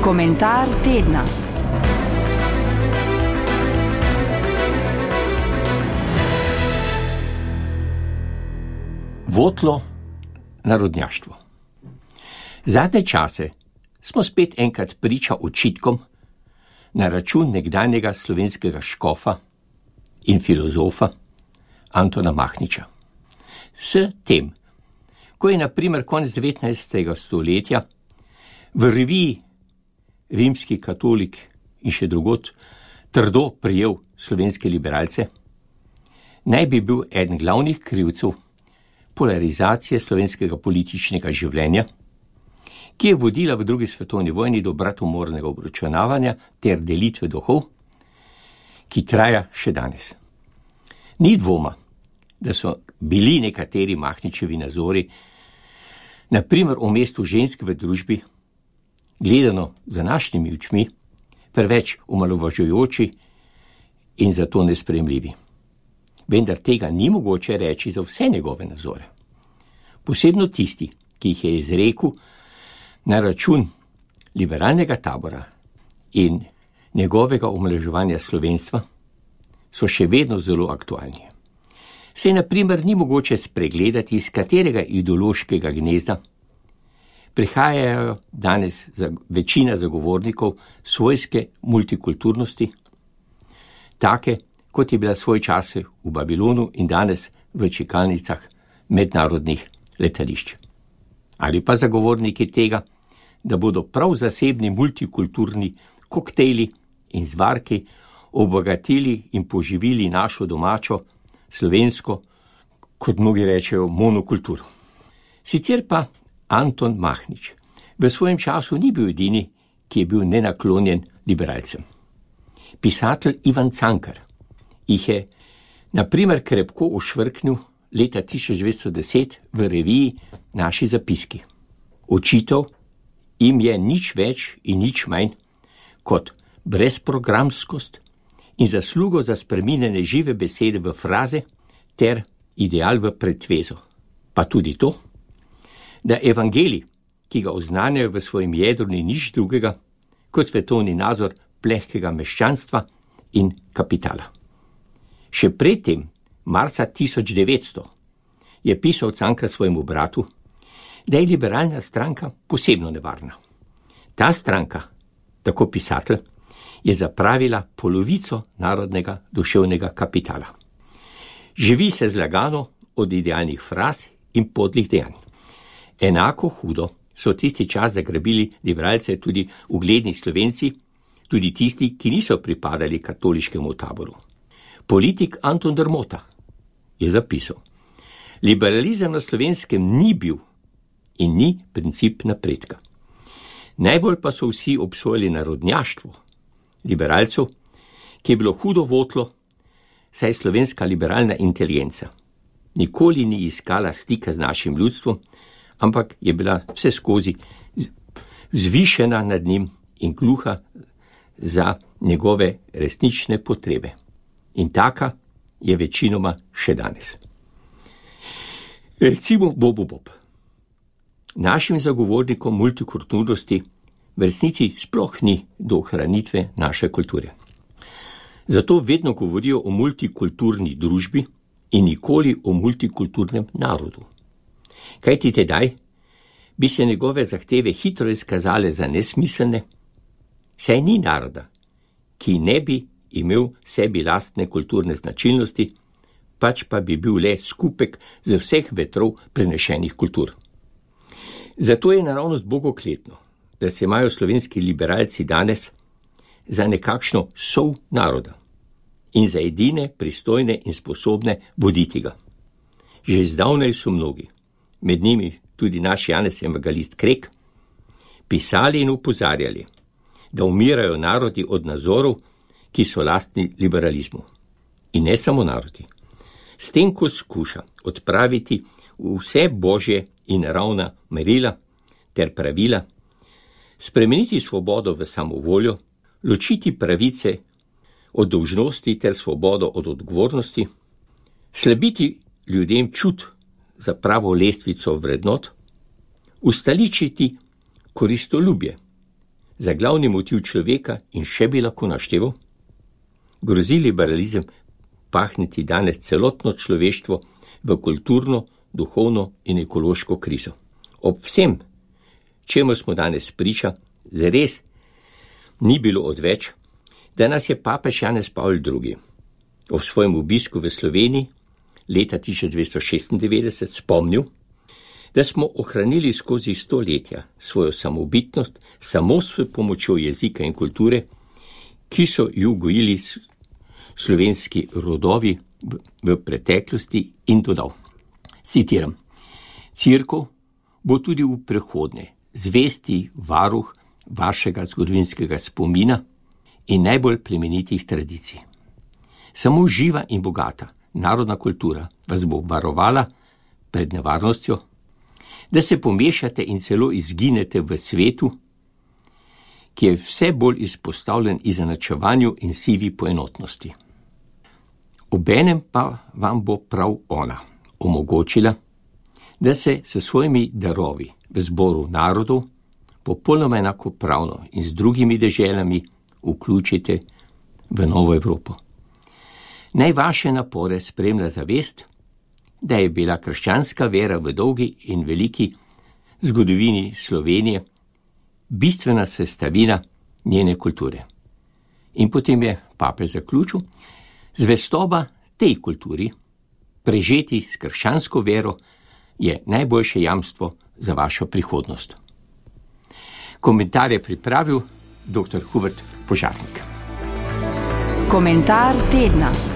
Komentar tedna. Votlo narodnjaštvo. Zadnje čase smo spet enkrat priča očitkom na račun nekdanjega slovenskega škofa in filozofa Antona Mahniča. S tem, ko je na primer konec 19. stoletja v reviji Rimski katolik in še drugod trdo prijel slovenske liberalce, naj bi bil eden glavnih krivcev polarizacije slovenskega političnega življenja, ki je vodila v drugi svetovni vojni do bratomornega obračunavanja ter delitve duhov, ki traja še danes. Ni dvoma, da so bili nekateri Mahničevi nazori, na primer o mestu žensk v družbi, gledano z današnjimi očmi, preveč omalovažujoči in zato nesprejemljivi. Vendar tega ni mogoče reči za vse njegove nazore. Posebno tisti, ki jih je izrekel na račun liberalnega tabora in njegovega omalovaževanja slovenstva, so še vedno zelo aktualni. Saj na primer ni mogoče spregledati, iz katerega ideološkega gnezda prihajajo danes večina zagovornikov svojske multikulturnosti, take, kot je bila svoj čas v Babilonu in danes v čakalnicah mednarodnih letališč. Ali pa zagovorniki tega, da bodo prav zasebni multikulturni koktejli in zvarki obogatili in poživili našo domačo, slovensko, kot mnogi rečejo, monokulturo. Sicer pa Anton Mahnič v svojem času ni bil edini, ki je bil nenaklonjen liberalcem. Pisatelj Ivan Cankar jih je na primer krepko ošvrknil leta 1910 v reviji Naši zapiski. Očital jim je nič več in nič manj kot brezprogramskost in zaslugo za spreminjanje žive besede v fraze ter ideal v pretvezo. Pa tudi to, da evangelij, ki ga oznanjajo v svojem jedru, ni nič drugega kot svetovni nazor plehkega meščanstva in kapitala. Še predtem, marca 1900, je pisal Cankar svojemu bratu, da je liberalna stranka posebno nevarna. Ta stranka, tako pisatelj, je zapravila polovico narodnega duševnega kapitala. Živi se zlagano od idealnih fraz in podlih dejanj. Enako hudo so tisti čas zagrabili liberalce tudi ugledni Slovenci, tudi tisti, ki niso pripadali katoliškemu taboru. Politik Anton Drmota je zapisal: liberalizem na Slovenskem ni bil in ni princip napredka. Najbolj pa so vsi obsojali narodnjaštvo liberalcev, ki je bilo hudo votlo, saj slovenska liberalna inteligenca nikoli ni iskala stika z našim ljudstvom, ampak je bila vse skozi zvišena nad njim in gluha za njegove resnične potrebe. In taka je večinoma še danes. Recimo Bob. Našim zagovornikom multikulturnosti v resnici sploh ni do ohranitve naše kulture. Zato vedno govorijo o multikulturni družbi in nikoli o multikulturnem narodu. Kajti tedaj bi se njegove zahteve hitro izkazale za nesmiselne, saj ni naroda, ki ne bi imel sebi lastne kulturne značilnosti, pač pa bi bil le skupek z vseh vetrov prenešenih kultur. Zato je naravnost bogokletno, da se imajo slovenski liberalci danes za nekakšno sol naroda in za edine pristojne in sposobne voditi ga. Že zdavnaj so mnogi, med njimi tudi naš Janez Evangelist Krek, pisali in opozarjali, da umirajo narodi od nazorov, ki so lastni liberalizmu. In ne samo narodi. S tem, ko skuša odpraviti vse božje in naravna merila ter pravila, spremeniti svobodo v samovoljo, ločiti pravice od dolžnosti ter svobodo od odgovornosti, slabiti ljudem čut za pravo lestvico vrednot, ustoličiti koristolubje, za glavni motiv človeka in še bi lahko našteval? Grozi liberalizem pahniti danes celotno človeštvo v kulturno, duhovno in ekološko krizo. Ob vsem, čemu smo danes priča, zares ni bilo odveč, da nas je papež Janez Pavol II. Ob svojem obisku v Sloveniji leta 1296 spomnil, da smo ohranili skozi stoletja svojo samobitnost samo s pomočjo jezika in kulture, ki so ju gojili slovenski rodovi v preteklosti, in dodal, citiram, Cerkev bo tudi v prihodnje zvesti varuh vašega zgodovinskega spomina in najbolj plemenitih tradicij. Samo živa in bogata narodna kultura vas bo varovala pred nevarnostjo, da se pomešate in celo izginete v svetu, ki je vse bolj izpostavljen izenačevanju in sivi poenotnosti. Obenem pa vam bo prav ona omogočila, da se s svojimi darovi v zboru narodov popolnoma enakopravno in z drugimi deželami vključite v novo Evropo. Naj vaše napore spremlja zavest, da je bila krščanska vera v dolgi in veliki zgodovini Slovenije bistvena sestavina njene kulture. In potem je papež zaključil, zvestoba tej kulturi, prežeti s krščansko vero, je najboljše jamstvo za vašo prihodnost. Komentar je pripravil dr. Hubert Požarnik. Komentar tedna.